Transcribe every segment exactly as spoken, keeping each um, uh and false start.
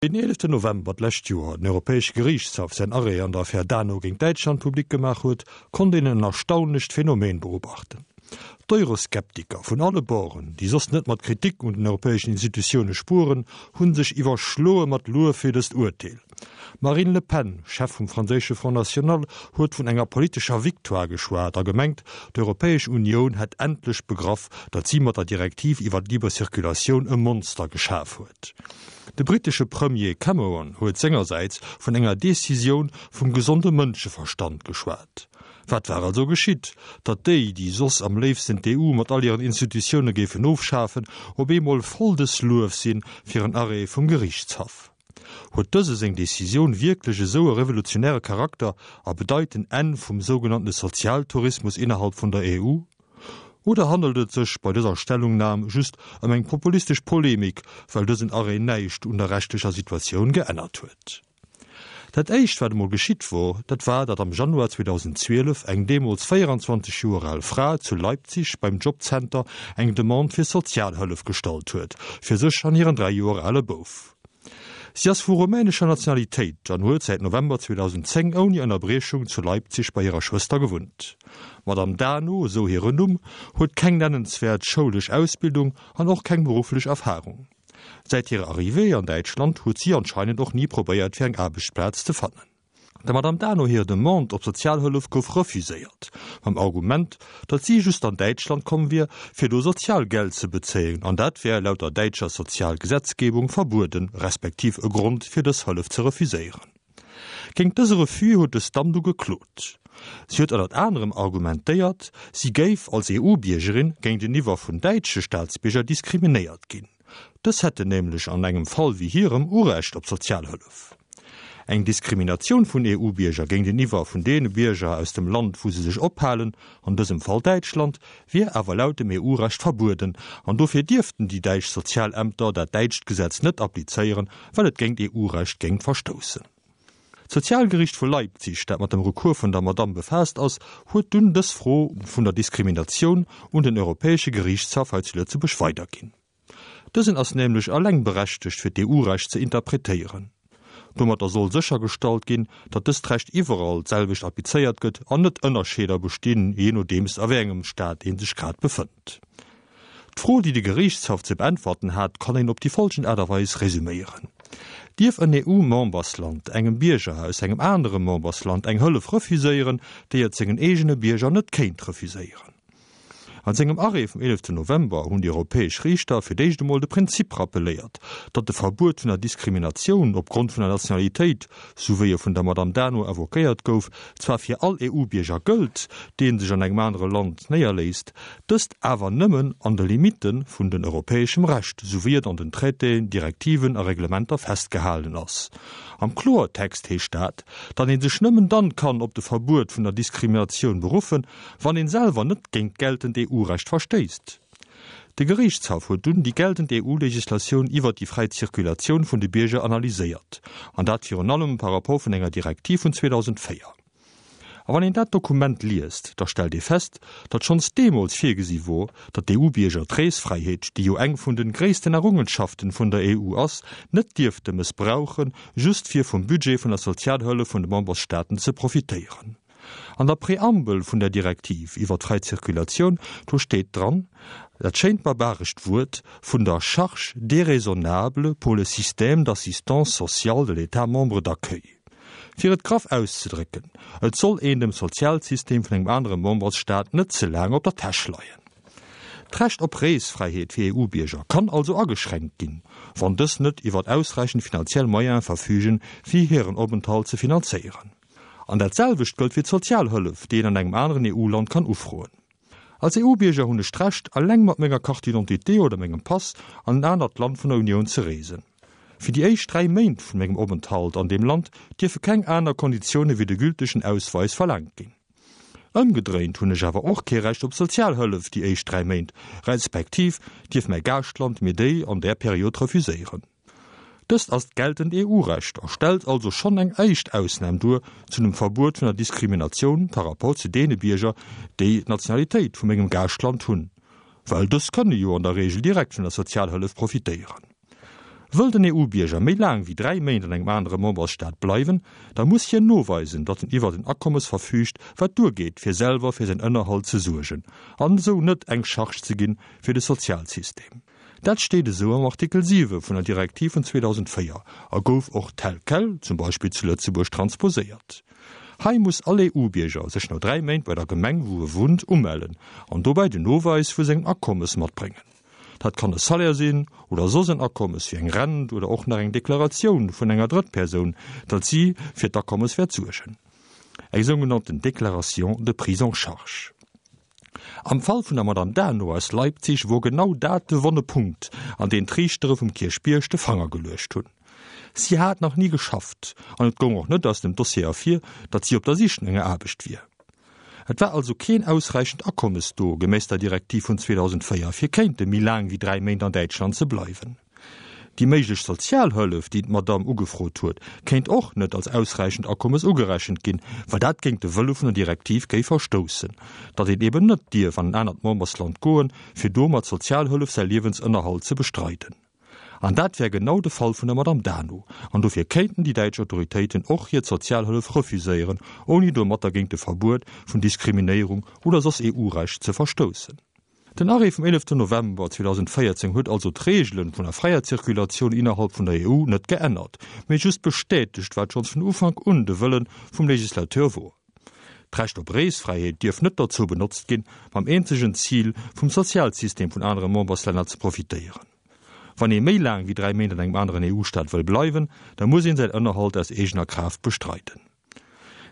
Wéi den eeleften November d'lescht Joer den Europäesche Geriichtshaff säin Arrêt an der Affär Dano géint Däitschland public gemaach huet, konnt een en erstaunlecht Phänomen beobachten. D'Euroskeptiker vun alle Borden, déi soss net mat Kritik un den europäeschen Institutioune spueren, hu sech iwwerschloe mat Luef fir dëst Urteel. D'Marine Le Pen, Chef vum franséische Front National, huet vun enger politescher Victoire geschwat a gemengt, d'Europäesch Unioun hätt endlech begraff, datt si mat der Direktiv iwwer d'liber Circulatioun e Monster geschaf huet. De brittesche Premier Cameron huet sengersäits vun enger Decisioun vum gesonde Mënscheverstand geschwat. Wat war also geschitt, datt déi, déi soss am léifsten d'EU mat all hiren Institutioune géifen ofschafen, op eemol voll des Luef sinn fir en Arrêt vum Geriichtshaff? Huet dëse seng Decisioun wierklech esou e revolutionäre Charakter a bedeit den Enn vum sougenannte Sozialtourismus innerhalb vun der EU? Oder handelt et sech bei dëser Stellungnam just ëm eng populistesch Polemik, well dësen Arrêt näischt un der rechtlecher Situatioun geännert huet? Dat éischt, wat emol geschitt wor, dat war, datt am Januar zweedausendzwielef eng deemools véieranzwanzeg Joer al Fra zu Leipzig beim Jobcenter eng Demande fir Sozialhëllef gestallt huet, fir sech an hiren dräi Joer ale Bouf. Si ass vu rumänescher Nationalitéit an huet säit November zweedausendzéng ouni Ënnerbriechung zu Leipzig bei hirer Schwëster gewunnt. D'Madame Dano, esou hiren Numm, huet keng nennenswäert schoulesch Ausbildung an och keng berufflech Erfarung. Säit hirer Arrivée an Däitschland huet si anscheinend och ni probéiert fir eng Aarbechtsplaz ze fannen. Der Madame Dano hir Demande op Sozialhëllef gouf refuséiert, mam Argument, datt si just an Däitschland komm wier, fir do Sozialgeld ze bezéien, an dat wär laut der däitscher Sozialgesetzgebung verbueden, respektiv e Grond fir dës Hëllef ze refuséieren. Géint dëse Refus huet dës Damm du geklot. Si huet ënnert anerem argumentéiert, si géif als E U-Biergerin géinteniwwer vun däitsche Staatsbierger diskriminéiert ginn. Dës hätten nämlech an engem Fall wéi hirem Urecht op Sozialhëllef. Eng Diskriminatioun vun E U-Bierger géinteniwwer vun deene Bierger aus dem Land, wou se sech ophalen, an dësem Fall Däitschland, wier awer laut dem E U-Recht verbueden an dofir dierften déi däitsch Sozialämter dat däitscht Gesetz net applizéieren, well et géint E U-Recht géing verstoussen. D'Sozialgeriicht vu Leipzig, dat mat dem Recours vun der Madamm befaasst ass, huet dunn dës Fro vun der Diskriminatioun un den Europäesche Geriichtshaff hei zu Lëtzebuerg weiderginn. Dësen ass nämlech eleng berechtegt fir d'E U-Recht ze interpretéieren. Domatter soll séchergestallt ginn, datt dëst Recht iwwerall d'selwecht applizéiert gëtt an net Ënnerscheeder bestinn, jee nodeems a wéi engem Staat ee sech grad befënnt. D'Fro, déi de Geriichtshaff ze beäntwerten hat, kann een op déi folgend Aart a Weis resüméieren, Dierf en E U-Membersland engem Bierger aus engem anere Membersland eng Hëllef refuséieren, déi et sengen eegene Bierger net kéint refuséieren? An sengem Arrêt vum eeleften November hunn déi europäesch Riichter fir d'éischt emol de Prinzip rappeléiert, datt de Verbuet vun der Diskriminatioun opgrond vun der Nationalitéit, sou wéi e vun der Madame Dano invoquéiert gouf, zwar fir all E U-Bierger gëllt, dee sech an engem anere Land néierléisst, dëst awer nëmmen an de Limitte vun den europäeschem Recht, sou wéi et an den Traitéen, Direktiven a Reglementer festgehalen ass. Am Kloertext heescht dat, datt ee sech nëmmen dann kann op de Verbuet vun der Diskriminatioun beruffen, wann een selwer net géint geltend E U-Recht verstéisst. De Geriichtshaff huet dunn déi geltend E U-Legislatioun iwwert déi fräi Zirkulatioun vun de Bierger analyséiert, an dat virun allem par rapport vun enger Direktiv vun zweedausendzvéier. A wann een dat Dokument liest, da stellt ee fest, datt schonns deemools virgesi wor, datt d'E U-Bierger d'Reesfräiheet, déi jo eng vun de gréissten Errungenschaften vun der E U ass, net dierfte mëssbrauchen, just fir vum Budget vun der Sozialhëllef vun de Membersstaaten ze profitéieren. An der Preambel vun der Direktiv iwwer d'fräi Zirkulatioun, do steet dran dat schéint barbarescht Wuert vun der charge déraisonnable pour le système d'assistance sociale de l'État membre d'accueil. Fir et graff auszedrécken, Et soll een dem Sozialsystem vun engem anere Membersstaat net ze laang op der Täsch leien. D'Recht op Reesfräiheet fir E U-Bierger kann also ageschränkt ginn, wann dës net iwwer ausräichend finanziell Moyene verfügen, fir hiren Openthalt ze finanzéieren. An dat selwecht gëllt fir d'Sozialhëllef, déi een an engem aneren E U-Land kann ufroen. Als E U-Bierger hunn ech d'Recht, eleng mat menger Carte d'identité oder mengem Pass an en anert Land vun der Unioun ze reesen. Fir déi éischt dräi Méint vun mengem Openthalt an deem Land dierfe keng aner Konditioune wéi de gültegen Ausweis verlaangt ginn. Ëmgedréint hunn ech awer och kee Recht op Sozialhëllef déi éischt dräi Méint, respektiv dierf mäi Gaaschtland mir déi an där Period refuséieren. Dëst ass d'geltend E U-Recht a stellt also schonn eng éischt Ausnam duer zu dem Verbuet vun der Diskriminatioun par rapport zu deene Bierger, déi d'Nationalitéit vu mengem Gaaschtland hunn, well dës kënne jo an der Reegel direkt vun der Sozialhëllef profitéieren. Wëll den E U-Bierger méi laang wéi dräi Méint an engem anere Membersstaat bleiwen, da muss hien noweisen, datt en iwwer en Akommes verfüügt, wat duergeet, fir selwer fir säin Ënnerhalt ze suergen, an esou net eng Charge ze ginn fir de Sozialsystem. Dat steet esou am Artikel siwe vun der Direktiv vun zweedausendvéier a gouf och tel quel, zum Beispill zu Lëtzebuerg, transposéiert. Hei muss all E U-Bierger sech no dräi Méint bei der Gemeng, wou e wunnt, umellen an dobäi den Noweis vu sengem Akommes matbréngen. Dat kann e Salaire sinn oder soss en Akommes wéi eng Rent oder och nach eng Deklaratioun vun enger Drëttpersoun, datt si fir d'Akommes wäert suergen. Eng sougenannten Déclaration de prise en charge. Am Fall vun der Madame Dano aus Leipzig wor genau dat de wonne Punkt, an deen d'Riichtere vum Kierchbierg de Fanger geluecht hunn. Si hat nach ni geschafft an et goung och net aus dem Dossier ervir, datt si op der Sich no enger Aarbecht wier. Et war also keen ausräichend Akommes do, geméiss der Direktiv vun zweedausendvéier, fir kéinte méi laang wéi dräi Méint an Däitschland ze bleiwen. Déi méiglech Sozialhëllef, déi d'Madame ugefrot huet, kéint och net als ausräichend Akommes ugerechent ginn, well dat géint de Wëlle vun der Direktiv géif verstoussen, datt een eben net dierf an en anert Membersland goen, fir do mat Sozialhëllef säi Liewensënnerhalt ze bestreiden. An dat wär genau de Fall vun der Madame Dano, an dofir kéinten déi däitsch Autoritéiten och hir d'Sozialhëllef refuséieren, ouni domatter géint de Verbuet vun Diskriminéierung oder soss E U-Recht ze verstoussen. Den Arrêt vum eeleften November zweedausendvéierzéng huet also d'Reegele vun der fräier Zirkulatioun innerhalb vun der E U net geännert, mee just bestätegt, wat schonns vun Ufank un de Wëlle vum Legislateur wor. D'Recht op Reesfräiheet dierf net dozou benotzt ginn, mam eenzegen Zil, vum Sozialsystem vun anere Memberslänner ze profitéieren. Wann ee méi laang wéi dräi Méint an engem aneren E U-Staat wëll bleiwen, da muss een säin Ënnerhalt aus eegener Kraaft bestreiden.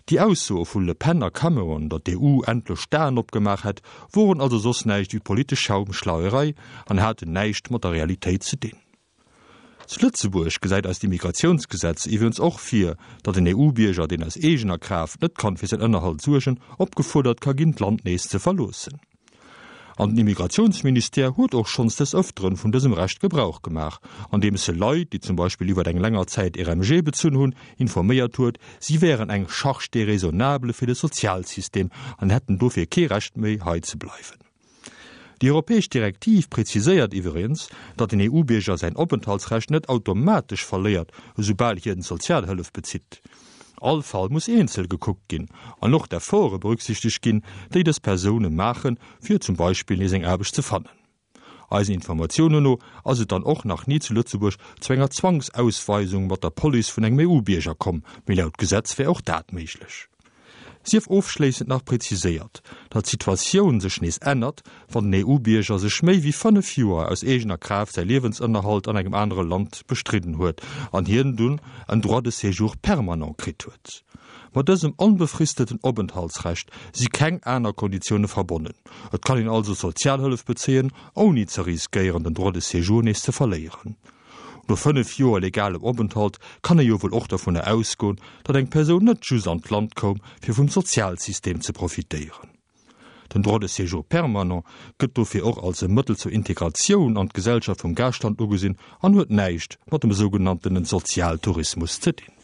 Déi Aussoe vu Le Pen a Cameron, datt d'E U endlech d'Aen opgemaach hätt, woren also soss näischt wéi politesch Schaumschleierei an haten näischt mat der Realitéit ze dinn. Zu Lëtzebuerg gesäit eist Immigratiounsgesetz iwwregens och vir, datt en E U-Bierger, deen aus eegener Kraaft net kann fir säin Ënnerhalt suergen, opgefuerdert ka ginn, d'Land nees ze verloossen. An den Immigratiounsministère huet och schonns des Ëfteren vun dësem Recht Gebrauch gemaach, andeems e Leit, déi zum Beispill iwwer eng länger Zäit R M G bezunn hunn, informéiert huet, si wären eng Charge déraisonnable fir de Sozialsystem an hätten dofir kee Recht méi hei ze bleiwen. Déi europäesch Direktiv präziséiert iwwregens, datt den E U-Bierger säin Openthaltsrecht net automatesch verléiert, esoubal hien Sozialhëllef bezitt. All Fall muss eenzel gekuckt ginn an och d'Efforte berücksichtegt ginn, déi dës Persoune maachen, fir zum Beispill nees eng Aarbecht ze fannen. Eisen Informatiounen no ass et dann och nach ni zu Lëtzebuerg zu enger Zwangsausweisung mat der Police vun engem E U-Bierger komm, mee laut Gesetz wär och dat méiglech. Sief ofschléissend nach präziséiert, datt d'Situatioun sech nees ännert, wann den E U-Bierger sech méi wéi fënnef Joer aus eegener Kraaft säi Liewensënnerhalt an engem anere Land bestridden huet an hien dunn en Droit de séjour permanent kritt huet. Mat dësem onbefristeten Openthaltsrecht si keng aner Konditioune verbonnen. Et kann een also Sozialhëllef bezéien, ouni ze riskéieren, den Droit de séjour nees ze verléieren. No fënnef Joer legalem Openthalt kann ee jo wuel och dovunner ausgoen, datt eng Persoun net just an d'Land koum, fir vum Sozialsystem ze profitéieren. Den Droit de séjour permanent gëtt dofir och als e Mëttel zur Integratioun an d'Gesellschaft vum Gaaschtland ugesinn an huet näischt mat dem sougenannten Sozialtourismus ze dinn.